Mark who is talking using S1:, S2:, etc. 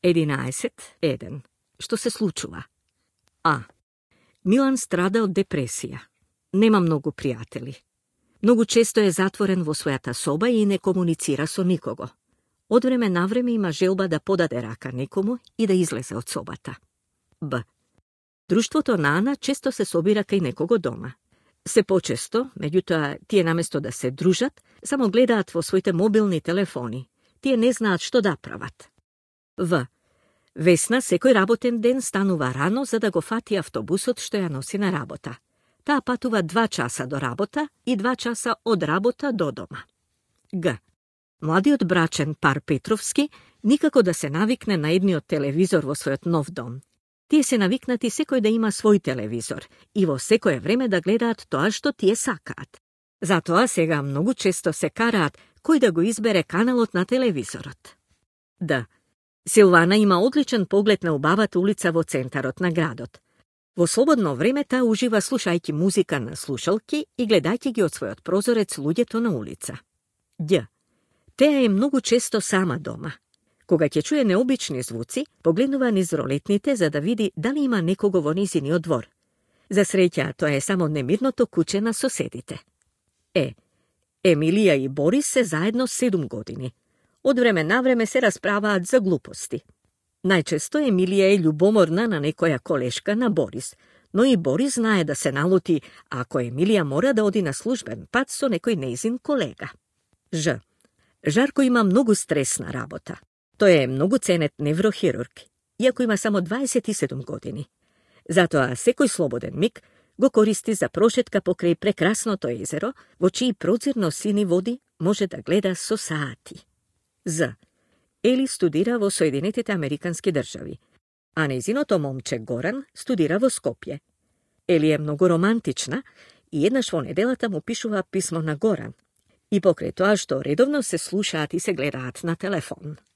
S1: 11.1. Што се случува? А. Милан страда од депресија. Нема многу пријатели. Многу често е затворен во својата соба и не комуницира со никого. Од време на време има желба да подаде рака некому и да излезе од собата. Б. Друштвото на Ана често се собира кај некого дома. Се почесто, меѓутоа, тие наместо да се дружат, само гледаат во своите мобилни телефони. Тие не знаат што да прават. В. Весна секој работен ден станува рано за да го фати автобусот што ја носи на работа. Таа патува 2 часа до работа и 2 часа од работа до дома. Г. Младиот брачен пар Петровски никако да се навикне на едниот телевизор во својот нов дом. Тие се навикнати секој да има свој телевизор и во секое време да гледаат тоа што тие сакаат. Затоа сега многу често се караат кој да го избере каналот на телевизорот. Д. Силвана има одличен поглед на убавата улица во центарот на градот. Во слободно време таа ужива слушајќи музика на слушалки и гледајќи ги од својот прозорец луѓето на улица. Ѓ. Теа е многу често сама дома. Кога ќе чуе необични звуци, погледнува низ ролетните за да види дали има некого во низиниот двор. За среќа, тоа е само немирното куче на соседите. Е. Емилија и Борис се заедно 7 години. Од време на време се расправаат за глупости. Најчесто Емилија е љубоморна на некоја колешка на Борис, но и Борис знае да се налути ако Емилија мора да оди на службен пат со некој нејзин колега. Ж. Жарко има многу стресна работа. Тој е многу ценет неврохирург, иако има само 27 години. Затоа секој слободен миг го користи за прошетка покрај прекрасното езеро, во чии прозирно сини води може да гледа со саати. З. Ели студира во Соединетите Американски држави, а нејзиното момче Горан студира во Скопје. Ели е многу романтична и еднаш во неделата му пишува писмо на Горан. И покрај тоа што редовно се слушаат и се гледаат на телефон.